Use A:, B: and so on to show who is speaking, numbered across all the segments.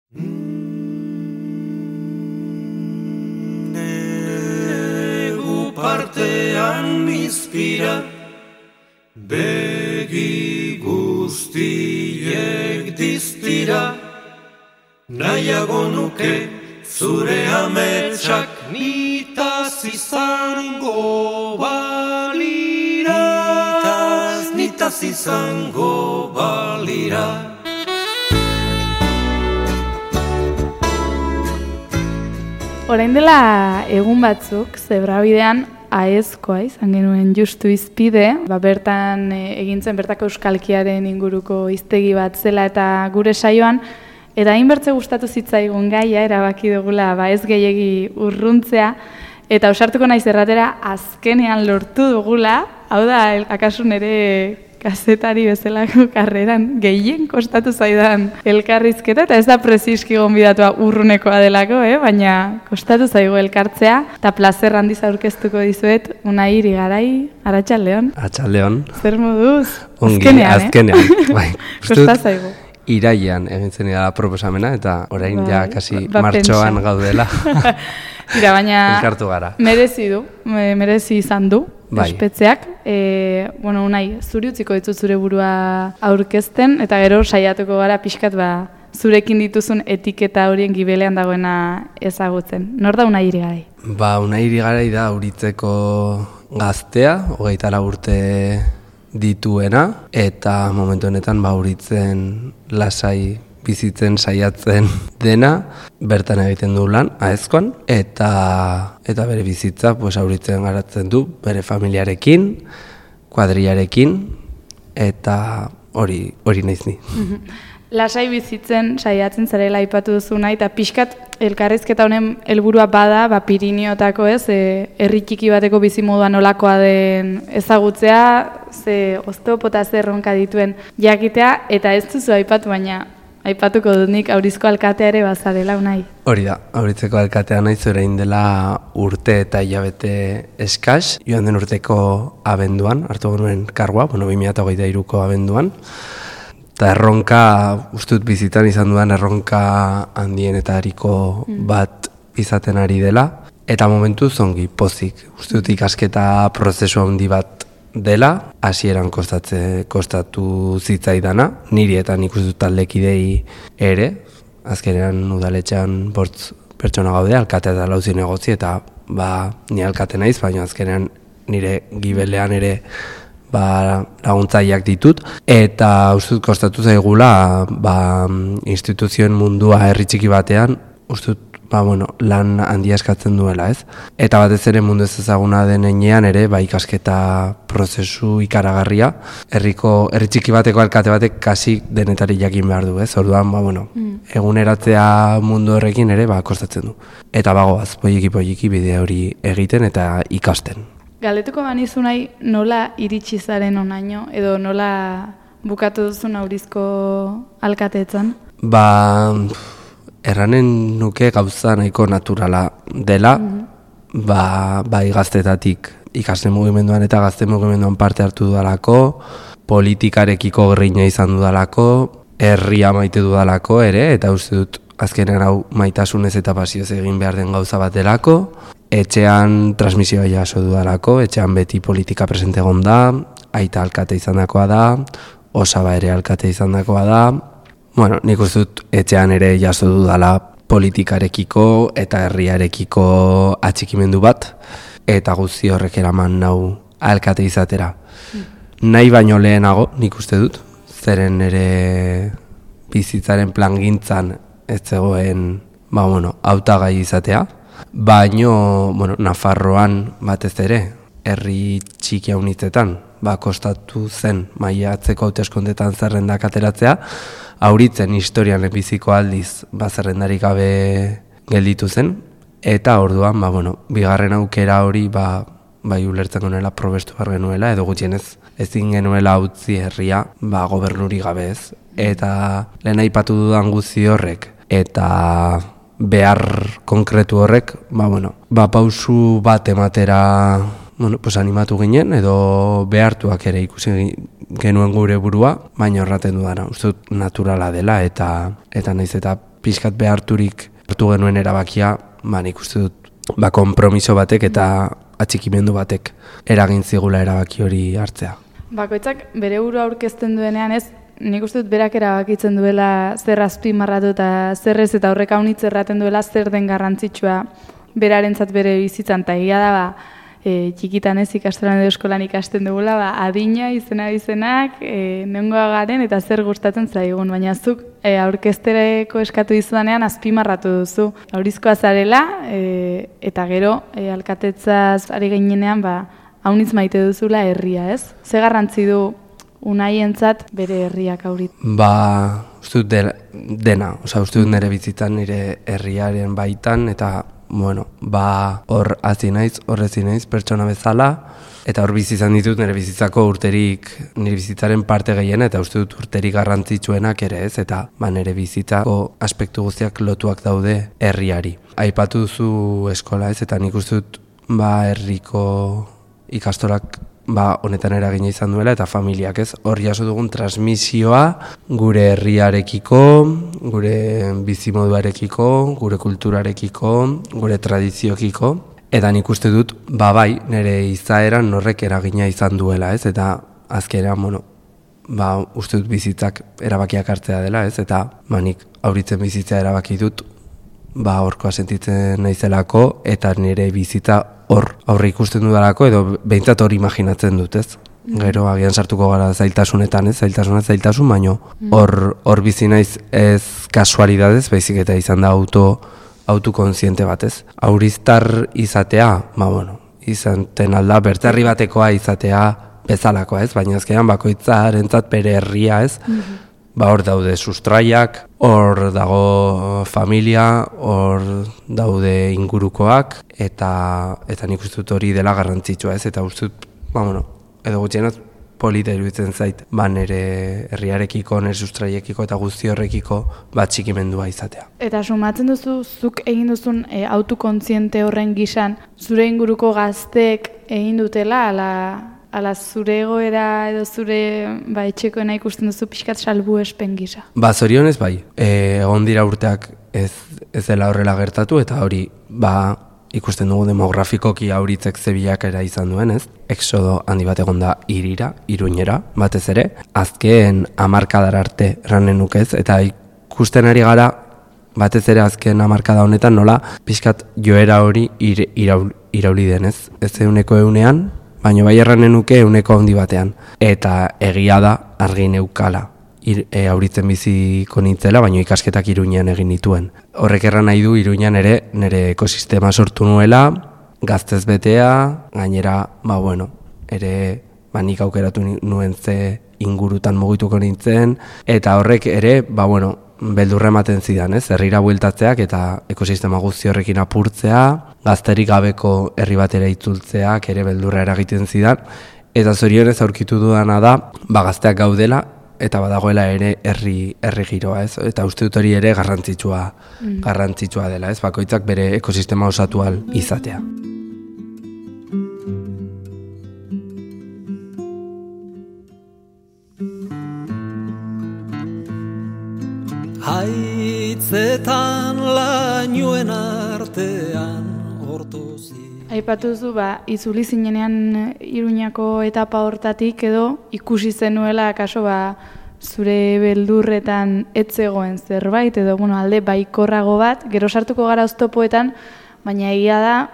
A: Negu partean izpira, begi guztiek diztira, nahiago nuke zure ametsak nitaz izango balira, nitaz izango balira.
B: Orain dela egun batzuk, zebrabidean aezkoa izan genuen justu izpide, bertan egintzen bertako euskalkiaren inguruko hiztegi bat zela eta gure saioan, eta hainbertze gustatu zitzaigun gaia, erabaki dugula ez gehiegi urruntzea, eta ausartuko naiz erratera azkenean lortu dugula, hau da, akaso nere kazetari bezalako karreran gehien kostatu zaidan elkarrizketa, eta ez da preziski gonbidatua urrunekoa delako, baina kostatu zaigu elkartzea, eta plazer handiz aurkeztuko dizuet, Unai Irigarai, Arratsaldeon.
C: Arratsaldeon.
B: Zer moduz?
C: Ongi, azkenean. Bai,
B: kosta zaigu.
C: Iraian egintzen da proposamena, eta orain ja kasi martxoan gaudela.
B: Tira, baina
C: elkartu gara.
B: Merezi izan du. Bai. Ospetzeak, Unai, zuri utziko ditut zure burua aurkezten, eta gero saiatuko gara pixkat zurekin dituzun etiketa horien gibelean dagoena ezagutzen. Nor da Unai Irigarai?
C: Unai Irigarai da Uritzeko gaztea, 24 urte dituena, eta momentu honetan Uritzen lasai bizitzen saiatzen dena, bertan egiten du lan, aezkoan, eta bere bizitza Uritzen garatzen du, bere familiarekin, kuadriarekin, eta hori naiz ni.
B: Lasai bizitzen saiatzen zarela aipatu duzuna, eta pixkat elkarrizketa honen helburua bada, Pirinioetako herri txiki bateko bizimodua nolakoa den ezagutzea, ze osteopota erronka dituen jakitea, eta ez duzu aipatu, baina aipatuko dut nik Aurizko alkatea ere bazarela, Unai. Hori
C: da, Auritzeko alkatea naiz orain dela urte eta hilabete eskas, joan den urteko abenduan, hartu genuen kargua, 2023ko abenduan, eta erronka, ustut bizitan izan dudan erronka handienetariko bat izaten ari dela, eta momentu zongi, pozik, ustut ikasketa prozesu handi bat dela, hasieran kostatu zitzaidana, niri eta nik uste dut taldekidei ere, azkenean udaletxean 5 pertsona gaude, alkatea eta 4 zinegotzi, eta ni alkate naiz, baina azkenean nire gibelean ere laguntzaileak ditut, eta uste dut kostatu zaigula instituzioen mundua herri txiki batean, uste dut lan handia eskatzen duela, ez? Eta batez ere mundu ez ezaguna den heinean ere, ikasketa prozesu ikaragarria, herri txiki bateko alkate batek kasi denetari jakin behar du, ez? Orduan, eguneratzea mundu horrekin ere, kostatzen du. Eta bagoaz, poiki bide hori egiten eta ikasten.
B: Galdetuko banizu nahi nola iritsi zaren honaino, edo nola bukatu duzun Aurizko alkateetzan?
C: Erranen nuke gauza nahiko naturala dela, gaztetatik ikasle mugimenduan eta gazte mugimenduan parte hartu dudalako, politikarekiko grina izan dudalako, herria maite dudalako ere, eta uste dut azkenean hau maitasunez eta pasioz egin behar den gauza bat delako, etxean transmisioa jaso dudalako, etxean beti politika presente egon da, aita alkate izandakoa da, osaba ere alkate izandakoa da. Nik uste dut etxean ere jaso dudala politikarekiko eta herriarekiko atxikimendu bat, eta guzti horrek eraman nau alkate izatera. Nahi baino lehenago, nik uste dut, zeren ere bizitzaren plangintzan ez zegoen hautagai izatea, baino Nafarroan batez ere, herri txiki haunitzetan, kostatu zen maiatzeko hauteskundeetan zerrendak ateratzea, Auritzen historian biziko aldiz zerrendarik gabe gelditu zen, eta orduan, bigarren aukera hori ulertzen genuela probestu behar genuela, edo gutxienez ezin genuela utzi herria gobernuri gabe ez. Eta lehen aipatu dudan guzti horrek, eta behar konkretu horrek, pausu bat ematera animatu ginen, edo behartuak ere ikusi genuen gure burua, baina horraten dudana, uste dut naturala dela, eta naiz eta pixkat beharturik hartu genuen erabakia, nik uste dut, konpromiso batek eta atxikimendu batek eragin zigula erabaki hori hartzea.
B: Bakoitzak bere burua aurkezten duenean ez, nik uste dut berak erabakitzen duela zer azpimarratu eta zer ez, eta horrek haunitz erraten duela zer den garrantzitsua berarentzat bere bizitzan, eta egia da txikitan ez ikastolan edo eskolan ikasten dugula, adina izenak, nengoa garen eta zer gustatzen zaigun, baina zuk aurkeztereko eskatu dizudanean azpimarratu duzu. Aurizkoa zarela eta gero alkatetzaz ari gainenean haunitz maite duzula herria, ez? Ze garrantzi du Unaientzat bere herriak aurit?
C: Uste dut dena, uste dut nire bizitzan nire herriaren baitan, eta hor hazi naiz, horrezi naiz, pertsona bezala, eta hor bizi izan ditut nire bizitzako urterik, nire bizitzaren parte gehiena, eta uste dut urterik garrantzitsuenak ere ez, eta nire bizitzako aspektu guztiak lotuak daude herriari. Aipatu duzu eskola ez, eta nik uste dut herriko ikastolak honetan eragina izan duela, eta familiak ez, hor jaso dugun transmisioa gure herriarekiko, gure bizimoduarekiko, gure kulturarekiko, gure tradiziokiko, eta nik uste dut, bai, nire izaeran horrek eragina izan duela, ez, eta azkenean, uste dut bizitzak erabakiak hartzea dela, ez, eta nik auritzen bizitza erabaki dut, horkoa sentitzen naizelako, eta nire bizitza hor aurre ikusten dudalako, edo behintzat hor imaginatzen dut, ez? Gero agian sartuko gara zailtasunetan, ez? Zailtasun, baino hor bizi naiz ez kasualidadez, baizik eta izan da autokontziente bat, ez? Auriztar izatea, izanten alda, bertzerri batekoa izatea bezalakoa, ez? Baina azkenean bakoitzarentzat bere herria, ez? Hor daude sustraiak, hor dago familia, hor daude ingurukoak, eta nik uste dut hori dela garrantzitsua, ez? Eta uste dut, edo gutxienaz polita iruditzen zait, nire herriarekiko, nire sustraiekiko eta guzti horrekiko txikimendua izatea.
B: Eta sumatzen duzu, zuk egin duzun autokontziente horren gisan, zure inguruko gazteek egin dutela, ala zure egoera edo zure etxekoena ikusten duzu pixkat salbuespen gisa?
C: Zorionez bai, egon dira urteak ez dela horrela gertatu, eta hori ikusten dugu demografikoki auritzek zebilakera izan duen, ez? Exodo handi bat egon da Iruñera, batez ere, azken 10 arte erranen nukez, eta ikusten ari gara, batez ere azken 10 honetan nola pixkat joera hori irauli denez. Ez 100%, baina bai erranen nuke 100 handi batean. Eta egia da argi neukala auritzen biziko nintzela, baina ikasketak Iruñean egin nituen. Horrek erran nahi du Iruñean ere nire ekosistema sortu nuela, gaztez betea, gainera, ere nik aukeratu nuen ze ingurutan mugituko nintzen, eta horrek ere, beldurra ematen zidan, ez? Herrira bueltatzeak eta ekosistema guzti horrekin apurtzea, gazterik gabeko herri batera itzultzeak ere beldurra eragiten zidan, eta zorionez aurkitu dudana da, gazteak gaudela, eta badagoela ere herri giroa, ez? Eta uste dut hori ere garrantzitsua dela, ez? Bakoitzak bere ekosistema osatu ahal izatea.
A: Haitzetan lainoen artean hortuzi.
B: Aipatu zu, itzuli zinenean Iruñako etapa hortatik edo ikusi zenuela kaso zure beldurretan etzegoen zerbait edo alde baikorrago bat, gero sartuko gara oztopoetan, baina egia da,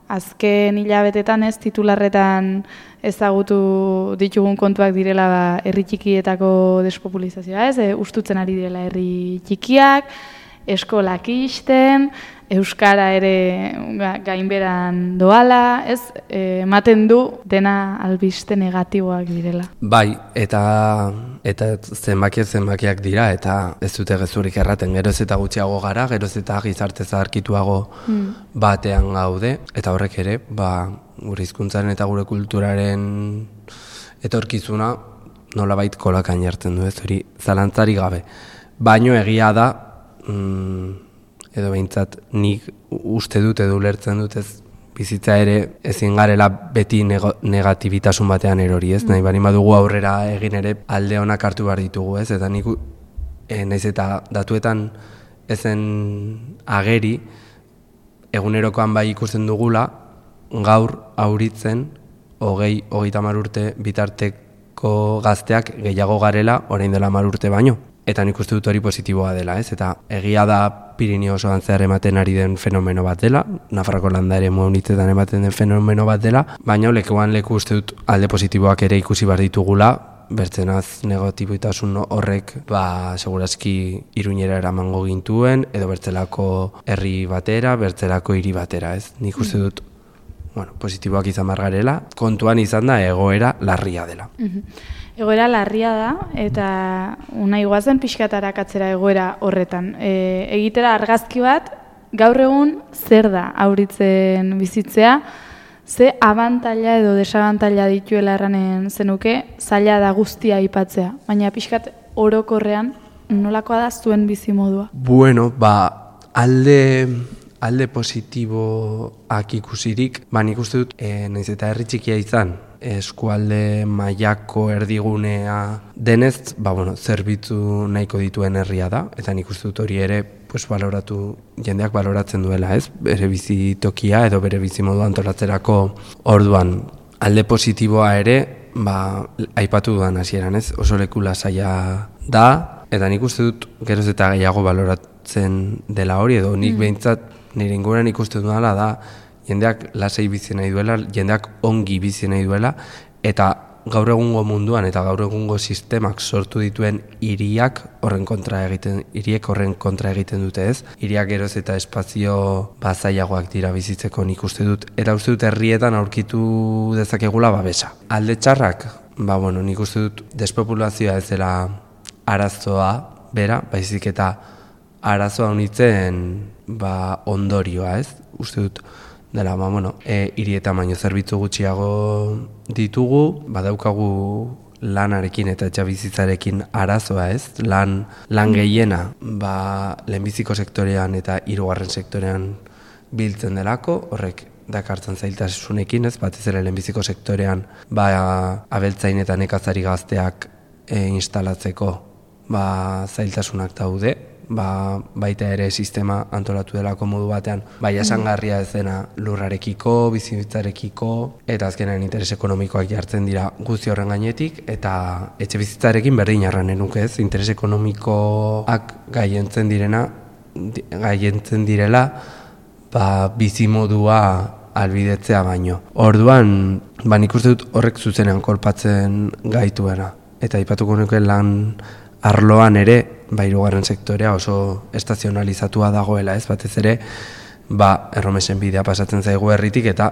B: azken hilabetetan ez titularretan ezagutu ditugun kontuak direla herri txikietako despopulizazioa, ez? Ustutzen ari direla herri txikiak, eskolak ixten, euskara ere gainberan doala, ez? Ematen du dena albiste negatiboak direla.
C: Bai, eta zenbakiak dira, eta ez dute gezurik erraten, geroz eta gutxiago gara, geroz eta gizarte zaharkituago batean gaude, eta horrek ere, gure hizkuntzaren eta gure kulturaren etorkizuna nolabait kolakan jartzen du, ez hori zalantzari gabe. Baino egia da, edo behintzat nik uste dut edo ulertzen dut ez bizitza ere ezin garela beti negatibitasun batean erori, ez? Nahi bari badugu aurrera egin ere alde honak hartu behar ditugu, ez? Eta nik naiz eta datuetan ezen ageri, egunerokoan bai ikusten dugula, gaur auritzen 20-30 urte bitarteko gazteak gehiago garela orain dela 10 urte baino. Eta nik uste dut hori positiboa dela, ez? Eta egia da Pirinio osoan zehar ematen ari den fenomeno bat dela, Nafarroko landa ere munitzetan ematen den fenomeno bat dela, baina lekuan leku uste dut alde positiboak ere ikusi behar ditugula, bertzenaz negatiboitasun horrek segurazki Iruñera eramango gintuen, edo bertzelako herri batera, bertzelako hiri batera, ez? Nik uste dut positiboak izan margarela, kontuan izan da egoera larria dela.
B: Egoera larria da, eta unai guazen pixkatarak atzera egoera horretan. Egitera argazki bat, gaur egun zer da auritzen bizitzea, ze abantaila edo desabantaila dituela erranen zenuke, zaila da guztia aipatzea, baina pixkat orokorrean nolakoa da zuen bizimodua?
C: Bueno, alde positiboak ikusirik, nik uste dut, nahiz eta herri txikia izan, eskualde mailako erdigunea denez, zerbitzu nahiko dituen herria da, eta nik uste dut hori ere jendeak baloratzen duela, ez? Bere bizitokia edo bere bizimodu antolatzerako orduan. Alde positiboa ere, aipatu dudan hasieran, ez? Oso leku lasaia da, eta nik uste dut geroz eta gehiago baloratzen dela hori, edo nik behintzat nire inguruan ikusten dudala da, jendeak lasai bizi nahi duela, jendeak ongi bizi nahi duela, eta gaur egungo munduan eta gaur egungo sistemak sortu dituen hiriek horren kontra egiten dute, ez? Hiriak geroz eta espazio zailagoak dira bizitzeko nik uste dut, eta uste dut herrietan aurkitu dezakegula babesa. Alde txarrak, nik uste dut despopulazioa ez dela arazoa bera, baizik eta arazoa honitzen ondorioa, ez? Uste dut dela, hirietan baino zerbitzu gutxiago ditugu, badaukagu lanarekin eta etxabizitzarekin arazoa, ez? Lan gehiena, lehenbiziko sektorean eta hirugarren sektorean biltzen delako, horrek dakartzen zailtasunekin, ez? Batez ere lehenbiziko sektorean, abeltzain eta nekazari gazteak instalatzeko, zailtasunak daude, baita ere sistema antolatu delako modu batean, jasangarria ez dena lurrarekiko, bizitzarekiko, eta azkenean interes ekonomikoak jartzen dira guzti horren gainetik, eta etxe bizitzarekin berdin arranen nuke, ez? Interes ekonomikoak gaientzen direla, bizimodua albidetzea baino. Orduan, nik uste dut horrek zuzenean kolpatzen gaituena, eta aipatuko nuke lan arloan ere, hirugarren sektorea oso estazionalizatua dagoela, ez? Batez ere, erromesen bidea pasatzen zaigu herritik eta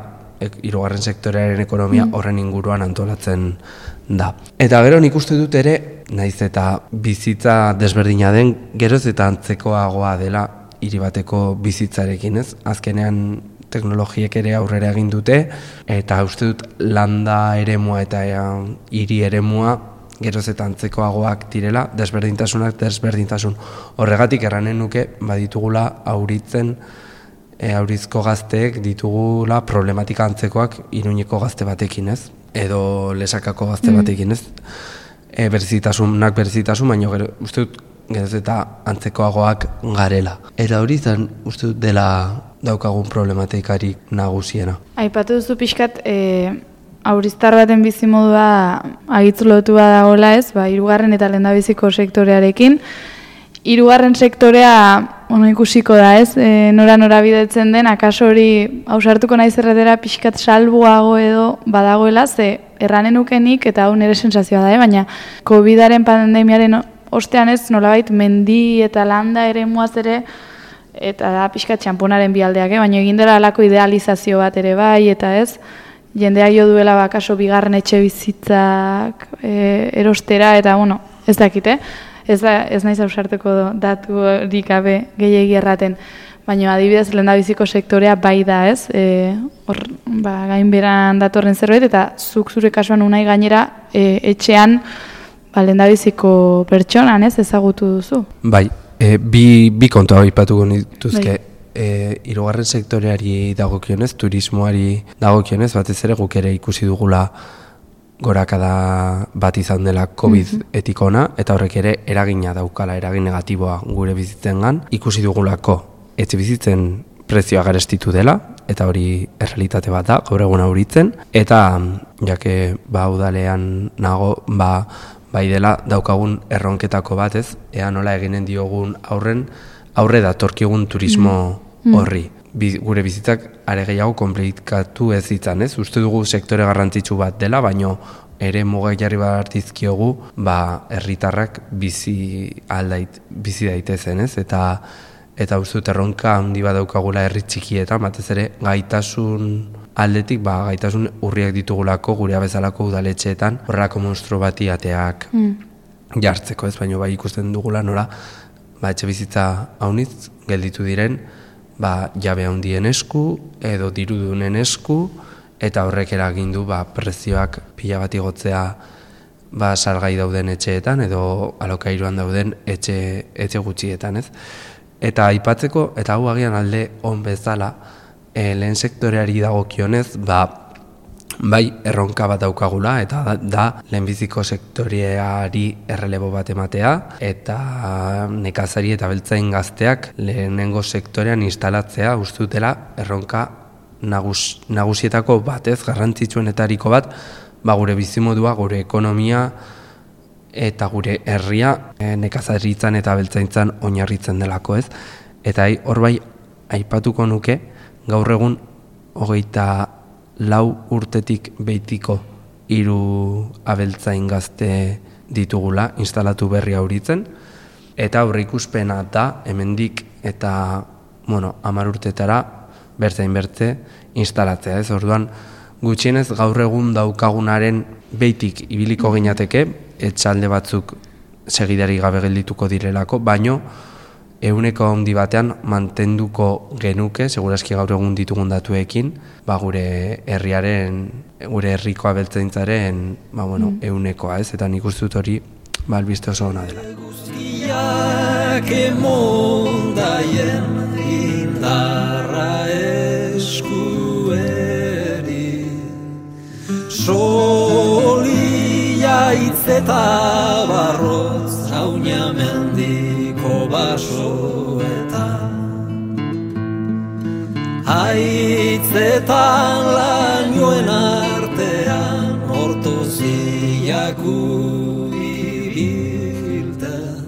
C: hirugarren sektorearen ekonomia horren inguruan antolatzen da. Eta gero nik uste dut ere, naiz eta bizitza desberdina den, geroz eta antzekoagoa dela hiri bateko bizitzarekin, ez? Azkenean teknologiek ere aurrera egin dute, eta uste dut landa eremua eta hiri eremua geroz eta antzekoagoak direla, desberdintasun horregatik erranen nuke, baditugula aurizko gazteek ditugula problematika antzekoak Iruñeko gazte batekin, ez? Edo Lesakako gazte batekin, ez? Berezitasun, baina uste dut geroz eta antzekoagoak garela. Eta hori zan uste dut dela daukagun problematikarik nagusiena.
B: Aipatu duzu pixkat, auriztar baten bizimodua agitzulotua dagoela, ez? Hirugarren eta lehendabiziko sektorearekin. Hirugarren sektorea ikusiko da, ez? Nora bidetzen den, akaso hori ausartuko naiz erretera pixkat salbuago edo badagoela, ze erranen ukenik eta hau nire sensazioa da, baina COVID-aren pandemiaren ostean ez nolabait mendi eta landa ere muaz ere, eta da pixkat txamponaren bialdeak, baina egin dela alako idealizazio bat ere bai, eta ez? Jendea jo duela bakaso bigarren etxe bizitzak erostera, eta ez dakite, ez naiz ausarteko datu horik gabe gehiegi erraten, baina adibidez lehendabiziko sektorea bai da, ez? Gainberan datorren zerbait, eta zuk zure kasuan unai gainera etxean lehendabiziko pertsonan, ez? Ezagutu duzu?
C: Bai, bi kontua aipatuko nituzke. Hirugarren sektoreari dagokionez, turismoari dagokionez, batez ere guk ere ikusi dugula gorakada bat izan dela COVID-etik ona, eta horrek ere eragina daukala, eragin negatiboa gure bizitzengan. Ikusi dugulako etxe bizitzen prezioa garestitu dela, eta hori errealitate bat da, gaur egun auritzen, eta jake udalean nago, bai dela daukagun erronketako bat, ez? Ea nola eginen diogun aurre datorkigun turismo horri. Gure bizitzak are gehiago konplikatu ez ditzan, ez? Uste dugu sektore garrantzitsu bat dela, baino ere mugak jarri bat dizkiogu, herritarrak bizi daitezen, ez? Eta uste dut erronka handi bat daukagula herri txikietan, batez ere gaitasun aldetik, gaitasun urriak ditugulako gure bezalako udaletxeetan, horrelako monstru bati ateak jartzeko, ez? Baina ikusten dugula nola, etxe bizitza haunitz gelditu diren, jabe handien esku edo dirudunen esku, eta horrek eragin du prezioak pila bat igotzea salgai dauden etxeetan edo alokairuan dauden etxe gutxietan, ez? Eta aipatzeko, eta hau agian alde on bezala, lehen sektoreari dagokionez, bai erronka bat daukagula, eta da lehenbiziko sektoreari errelebo bat ematea, eta nekazari eta beltzain gazteak lehenengo sektorean instalatzea uste dutela erronka nagusietako batez, garrantzitsuenetariko bat, gure bizimodua, gure ekonomia eta gure herria nekazaritzan eta beltzaintzan oinarritzen delako, ez? Eta hor bai aipatuko nuke, gaur egun 24 urtetik behitiko 3 abeltzain gazte ditugula instalatu berri auritzen, eta aurreikuspena da hemendik eta 10 urtetara bertzain bertze instalatzea, ez? Orduan gutxienez gaur egun daukagunaren behitik ibiliko ginateke, etxalde batzuk segidari gabe geldituko direlako, baino 100 handi batean mantenduko genuke, seguraski gaur egun ditugun datuekin, gure herriaren, gure herriko abeltzaintzaren, 100koa, ez? Eta nik uste dut hori, albiste oso ona dela.
A: Guztiak emondaien indarra eskueri, solia hitz eta barrotz jaunia mendiko basoetan, haitzetan lainoen artean ortoziaku ibilten,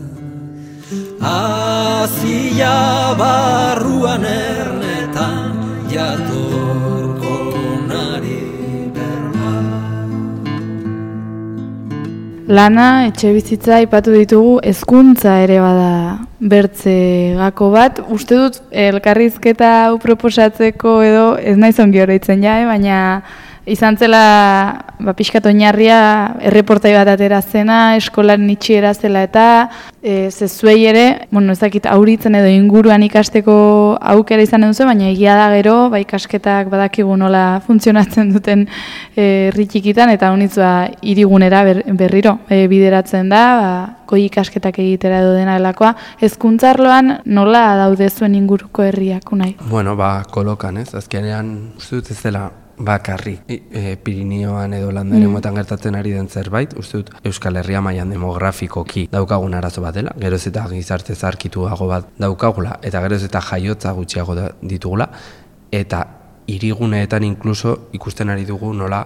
A: azia barruan ernetan jatorko nari berba.
B: Lana, etxe bizitza aipatu ditugu, hezkuntza ere bada bertze gako bat. Uste dut elkarrizketa hau proposatzeko edo ez naiz ongi oroitzen baina izan zela pixkat oinarria erreportai bat atera zena, eskolaren itxiera zela eta zezuei ere, ez dakit auritzen edo inguruan ikasteko aukera izan duzu, baina egia da gero, ikasketak badakigu nola funtzionatzen duten herri txikitan, eta honitzua hirigunera berriro bideratzen da, goi ikasketak egitera edo dena delakoa. Hezkuntza arloan nola daude zuen inguruko herriak unai?
C: Kolokan, ez? Azkenean, uste dut ez dela bakarrik Pirinioan edo landaremoetan gertatzen ari den zerbait, uste dut Euskal Herria mailan demografikoki daukagun arazo bat dela, geroz eta gizarte zarkituago bat daukagula, eta geroz eta jaiotza gutxiago ditugula, eta hiriguneetan inkluso ikusten ari dugu nola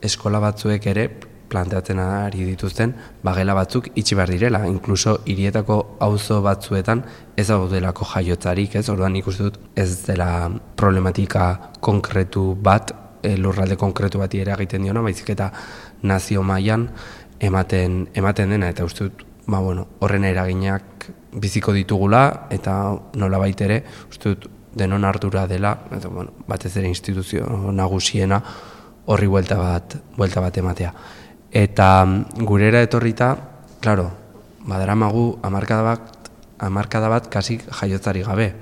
C: eskola batzuek ere planteatzen ari dituzten gela batzuk itxi behar direla, inkluso hirietako auzo batzuetan ez daudelako jaiotzarik, ez? Orduan ikusten dut ez dela problematika konkretu bat, lurralde konkretu bati ere egiten diona, baizik eta nazio mailan ematen dena, eta uste dut horren eraginak biziko ditugula, eta nolabait ere uste dut denon ardura dela, eta batez ere instituzio nagusiena horri buelta bat ematea. Eta gurera etorrita, klaro, badaramagu hamarkada bat kasi jaiotzari gabe.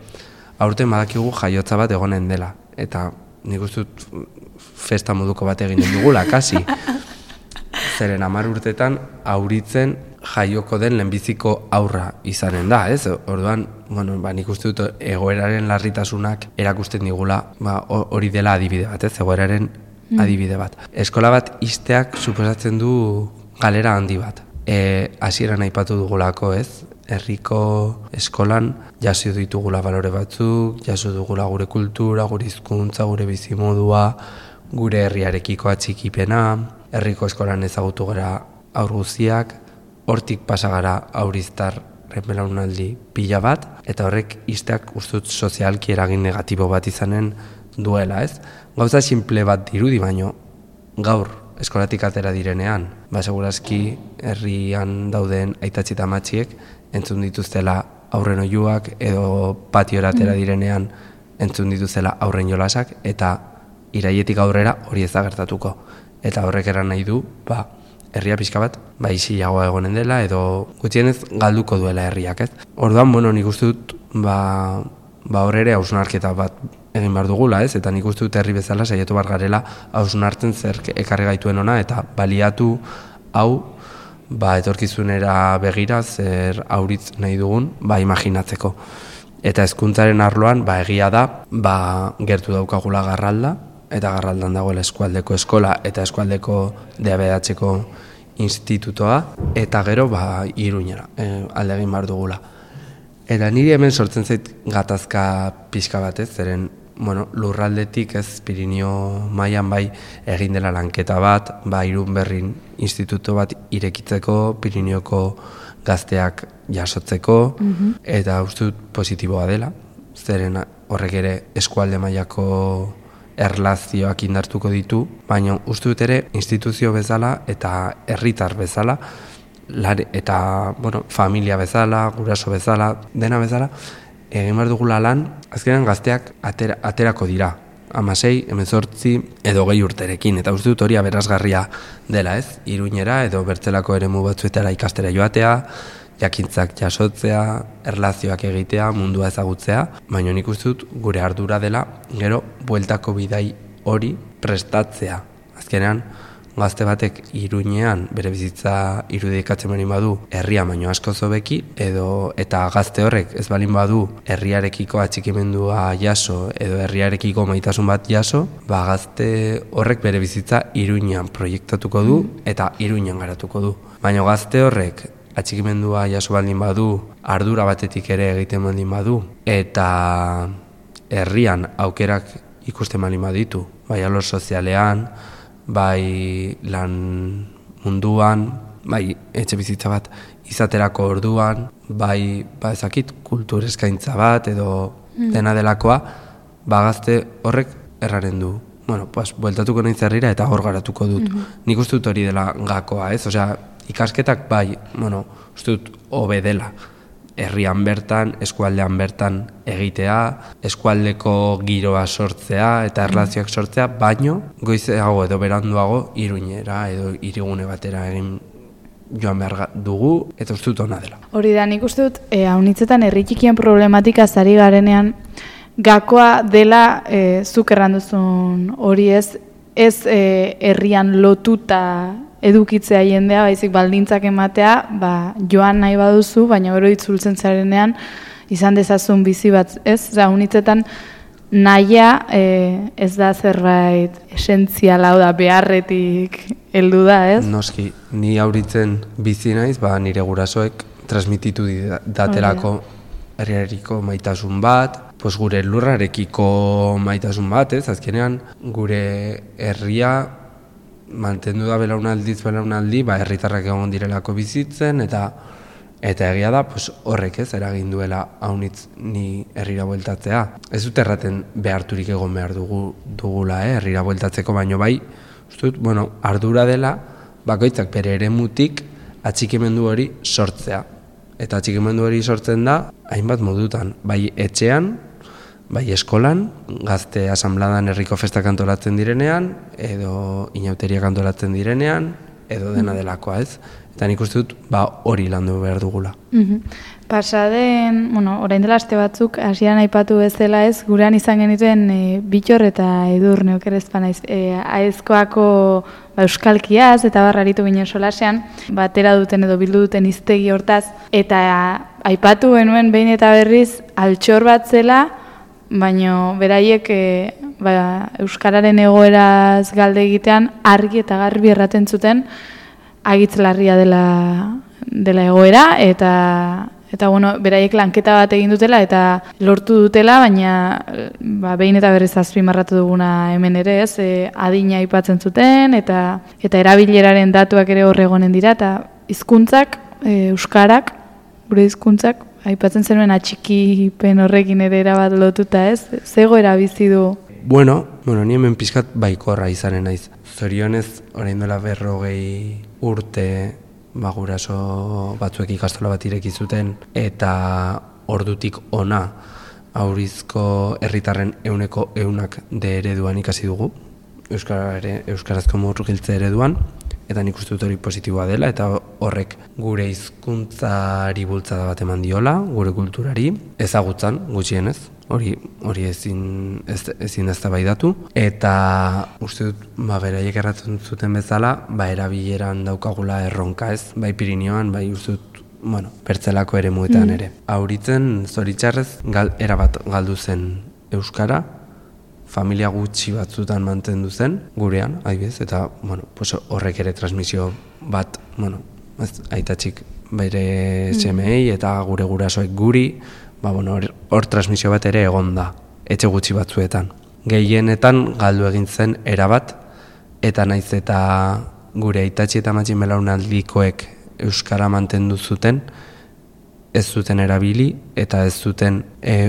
C: Aurten badakigu jaiotza bat egonen dela, eta nik uste dut festa moduko bat eginen dugula, kasi. Zeren 10 urtetan auritzen jaioko den lehenbiziko aurra izanen da, ez? Orduan, nik uste dut egoeraren larritasunak erakusten digula, hori dela adibide bat, ez? Egoeraren adibide bat. Eskola bat ixteak suposatzen du galera handi bat. Hasieran aipatu dugulako, ez? Herriko eskolan jaso ditugula balore batzuk, jaso dugula gure kultura, gure hizkuntza, gure bizimodua, gure herriarekiko atxikipena, herriko eskolan ezagutu gara haur guztiak, hortik pasa gara hauriztarren belaunaldi pila bat, eta horrek ixteak ustut sozialki eragin negatibo bat izanen duela, ez? Gauza simple bat dirudi baino, gaur eskolatik atera direnean, segurazki herrian dauden aitatzi eta amatxiek entzun dituztela aurren oihuak edo patiora atera direnean entzun dituztela aurren jolasak eta iraietik aurrera hori ez da gertatuko. Eta horrek eran nahi du, herria pixka bat, isilagoa egonen dela edo gutxienez galduko duela herriak, ez? Orduan, nik uste dut, hor ere hausnarketa bat egin behar dugula, ez? Eta nik uste dut herri bezala saiatu behar garela hausnartzen zer ekarri gaituen ona eta baliatu hau etorkizunera begira zer auritz nahi dugun imaginatzeko. Eta hezkuntzaren arloan egia da gertu daukagula Garralda eta Garraldan dagoela eskualdeko eskola eta eskualdeko DABH-ko institutoa eta gero Iruñera alde egin behar dugula. Eta niri hemen sortzen zait gatazka pixka batez, zeren lurraldetik ez Pirinio mailan egin dela lanketa bat, Irunberrin instituto bat irekitzeko, Pirinioko gazteak jasotzeko, eta uste dut positiboa dela, zeren horrek ere eskualde mailako erlazioak indartuko ditu, baina uste dut ere instituzio bezala eta herritar bezala, eta familia bezala, guraso bezala, dena bezala, egin behar dugula lan, azkenean gazteak aterako dira. 16, 18 edo 20 urterekin, eta uste dut hori aberasgarria dela, ez? Iruñera edo bertzelako eremu batzuetara ikastera joatea, jakintzak jasotzea, erlazioak egitea, mundua ezagutzea, baina nik uste dut gure ardura dela, gero bueltako bidai hori prestatzea. Azkenean, gazte batek Iruñean bere bizitza irudikatzen baldin badu herria baino asko hobeki eta gazte horrek ez baldin badu herriarekiko atxikimendua jaso edo herriarekiko maitasun bat jaso, gazte horrek bere bizitza Iruñean proiektatuko du eta Iruñean garatuko du. Baina gazte horrek atxikimendua jaso baldin badu, ardura batetik ere egiten baldin badu eta herrian aukerak ikusten baldin baditu, alor sozialean, lan munduan, etxe bizitza bat izaterako orduan, ezakit kultur eskaintza bat edo dena delakoa, gazte horrek erraren du. Bueltatuko nahi zerrira eta hor garatuko dut. Nik uste dut hori dela gakoa, ez? Ikasketak uste dut hobe dela. Herrian bertan, eskualdean bertan egitea, eskualdeko giroa sortzea eta erlazioak sortzea, baino goizeago edo beranduago Iruñera edo hirigune batera egin joan behar dugu eta uste dut ona dela.
B: Hori da, nik uste dut, haunitzetan herri txikien problematika zari garenean gakoa dela zuk erranduzun hori ez herrian lotuta edukitzea jendea, baizik baldintzak ematea, joan nahi baduzu, baina gero itzultzen zarenean izan dezazun bizi bat, ez? Haunitzetan nahia ez da zerbait esentziala, da beharretik heldu da, ez?
C: Noski, ni auritzen bizi naiz, nire gurasoek transmititu datelako herriareko maitasun bat, gure lurrarekiko maitasun bat, ez? Azkenean gure herria mantendu da belaunaldi, herritarrak egon direlako bizitzen, eta egia da, horrek ez, eragin duela haunitz ni herrira bueltatzea. Ez dut erraten beharturik egon behar dugula, herrira bueltatzeko, baino uste dut, ardura dela, bakoitzak bere eremutik atxikimendu hori sortzea. Eta atxikimendu hori sortzen da, hainbat modutan, etxean, eskolan, gazte asambladan herriko festak antolatzen direnean, edo inauteriak antolatzen direnean, edo dena delakoa, ez? Eta nik uste dut, hori landu behar dugula.
B: Pasaden, orain dela aste batzuk, hasieran aipatu bezala ez, gurean izan genituen Bittor eta Edurne okerrezpa naiz, aezkoako euskalkiaz eta barraritu ginen solasean, batera duten edo bildu duten hiztegi hortaz, eta aipatu genuen behin eta berriz altxor bat zela, baina beraiek euskararen egoeraz galde egitean argi eta garbi erraten zuten agitz larria dela egoera eta bueno, beraiek lanketa bat egin dutela eta lortu dutela, baina behin eta berriz azpimarratu duguna hemen ere, ez? Adina aipatzen zuten eta erabileraren datuak ere hor egonen dira eta hizkuntzak, euskarak, gure hizkuntzak aipatzen zenuen atxikipen horrekin ere erabat lotuta, ez? Zegoera bizi du?
C: Bueno, ni hemen pixkat baikorra izanen naiz. Zorionez, orain dela 40 urte guraso batzuek ikastola bat ireki zuten eta ordutik ona aurizko herritarren 100% de ereduan ikasi dugu. Euskarazko murgiltze ereduan. Eta nik uste dut hori positiboa dela, eta horrek gure hizkuntzari bultzada bat eman diola, gure kulturari, ezagutzan, gutxienez, hori ezin eztabaidatu. Eta uste dut, beraiek erratzen zuten bezala, erabileran daukagula erronka ez, bai Pirinioan, bai uste dut, pertzelako ere muetan ere. Auritzen, zoritxarrez, erabat galdu zen euskara, familia gutxi batzutan mantendu zen, gurean, adibidez, eta horrek ere transmisio bat, aitatxik bere semei eta gure gurasoek guri, hor transmisio bat ere egon da, etxe gutxi batzuetan. Gehienetan galdu egin zen erabat, eta naiz eta gure aitatxi eta matxin belaunaldikoek euskara mantendu zuten, ez zuten erabili eta ez zuten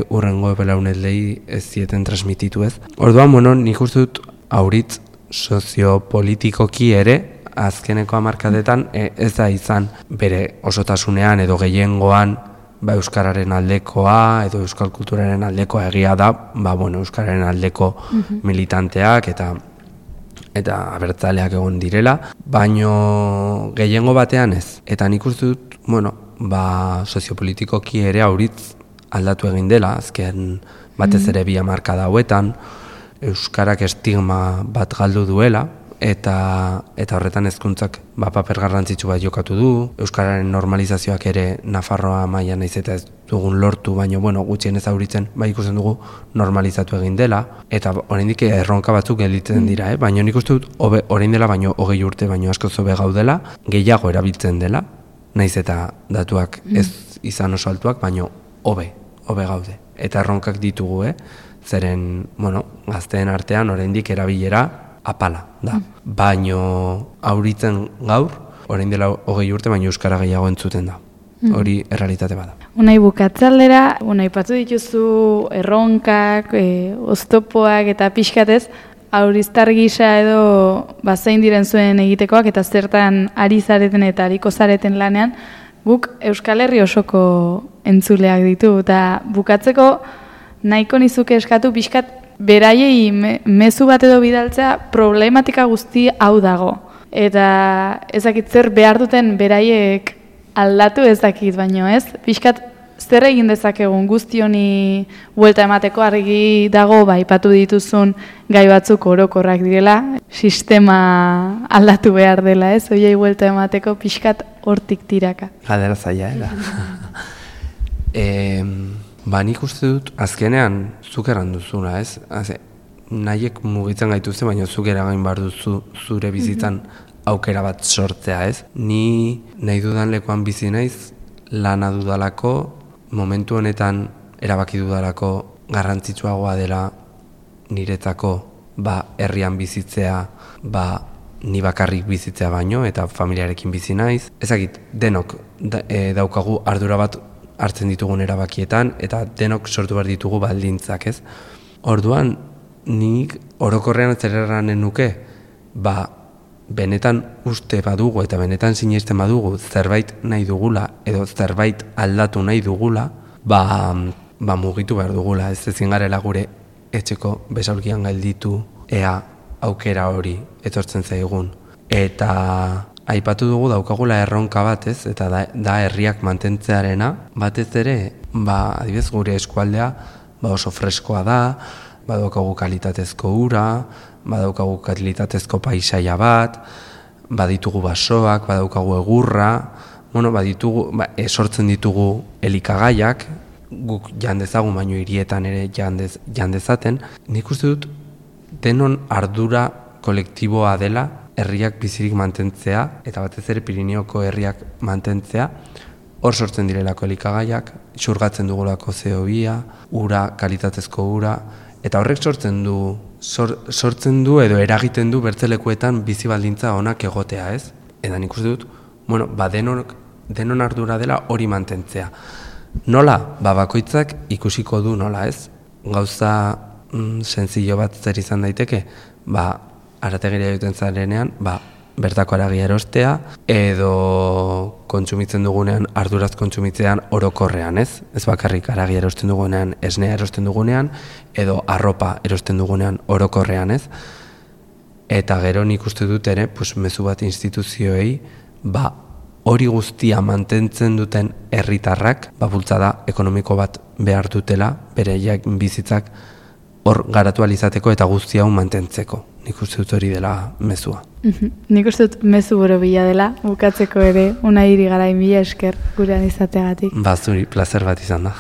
C: urrengo belaunaldei ez zieten transmititu ez. Orduan, nik uste dut auritz soziopolitikoki ere, azkeneko hamarkadetan ez da izan bere osotasunean edo gehiengoan euskararen aldekoa edo euskal kulturaren aldekoa egia da, euskararen aldeko militanteak eta abertzaleak egon direla, baino gehiengo batean ez. Eta nik uste dut, soziopolitikoki ere auritz aldatu egin dela, azken batez ere 2 hamarkada hauetan, euskarak estigma bat galdu duela, eta horretan hezkuntzak paper garrantzitsu bat jokatu du, euskararen normalizazioak ere Nafarroa mailan naiz eta ez dugun lortu, baina gutxienez auritzen ikusten dugu normalizatu egin dela, eta oraindik erronka batzuk gelditzen dira, baina nik uste dut orain dela baino 20 urte baino askoz hobe gaudela, gehiago erabiltzen dela, naiz eta datuak ez izan oso altuak, baino hobe gaude. Eta erronkak ditugu, zeren, gazteen artean oraindik erabilera apala da. Baino auritzen gaur, orain dela 20 urte, baino euskara gehiago entzuten da. Hori errealitate bada.
B: Unai bukatzaldera, aipatu dituzu erronkak, oztopoak eta pixkatez, auriztar gisa edo zein diren zuen egitekoak eta zertan ari zareten eta ariko zareten lanean, guk Euskal Herri osoko entzuleak ditu. Eta bukatzeko nahiko nizuke eskatu pixkat beraiei mezu bat edo bidaltzea problematika guzti hau dago. Eta ezakit zer behar duten beraiek aldatu ezakit, baino ez? Pixkat zer egin dezakegun guzti honi buelta emateko, argi dago aipatu dituzun gai batzuk orokorrak direla, sistema aldatu behar dela, ez? Hoiei buelta emateko pixkat hortik tiraka.
C: Galdera zaila, nik uste dut azkenean zuk erran duzuna, ez? Nahiek mugitzen gaituzte, baina zuk eragain behar duzu zure bizitzan aukera bat sortzea, ez? Ni nahi dudan lekuan bizi naiz, lana dudalako, momentu honetan erabaki dudalako garrantzitsuagoa dela niretzako herrian bizitzea, ni bakarrik bizitzea baino, eta familiarekin bizi naiz. Ezagit, denok daukagu ardura bat hartzen ditugun erabakietan, eta denok sortu behar ditugu baldintzak, ez? Orduan, nik orokorrean zerranen nuke, benetan uste badugu eta benetan sinesten badugu zerbait nahi dugula edo zerbait aldatu nahi dugula, mugitu behar dugula, ez ezin garela gure etxeko besaulkian gelditu ea aukera hori etortzen zaigun. Eta aipatu dugu daukagula erronka bat, ez? Eta da herriak mantentzearena, batez ere, adibidez gure eskualdea oso freskoa da, badaukagu kalitatezko ura, badaukagu kalitatezko paisaia bat, baditugu basoak, badaukagu egurra, sortzen ditugu elikagaiak, guk jan dezagun, baino hirietan ere jan dezaten. Nik uste dut denon ardura kolektiboa dela herriak bizirik mantentzea, eta batez ere Pirineoko herriak mantentzea, hor sortzen direlako elikagaiak, xurgatzen dugulako CO2, ura, kalitatezko ura, eta horrek sortzen du edo eragiten du bertzelekuetan bizi baldintza onak egotea, ez? Eta nik uste dut, denon ardura dela hori mantentzea. Nola? Bakoitzak ikusiko du nola, ez? Gauza senzillo bat zer izan daiteke, arategiria joten zarenean, bertako haragia erostea, edo kontsumitzen dugunean, arduraz kontsumitzean orokorrean, ez? Ez bakarrik haragia erosten dugunean, esnea erosten dugunean, edo arropa erosten dugunean orokorrean, ez? Eta gero nik uste dut ere, mezu bat instituzioei, hori guztia mantentzen duten herritarrak, bultzada ekonomiko bat behar dutela, bere bizitzak hor garatu alizateko eta guztia hau mantentzeko. Nik uste dut hori dela mezua.
B: Nik uste dut mezu borobila dela, bukatzeko ere, Unai Irigarai, mila esker gurean izateagatik.
C: Zuri, plazer bat izan da.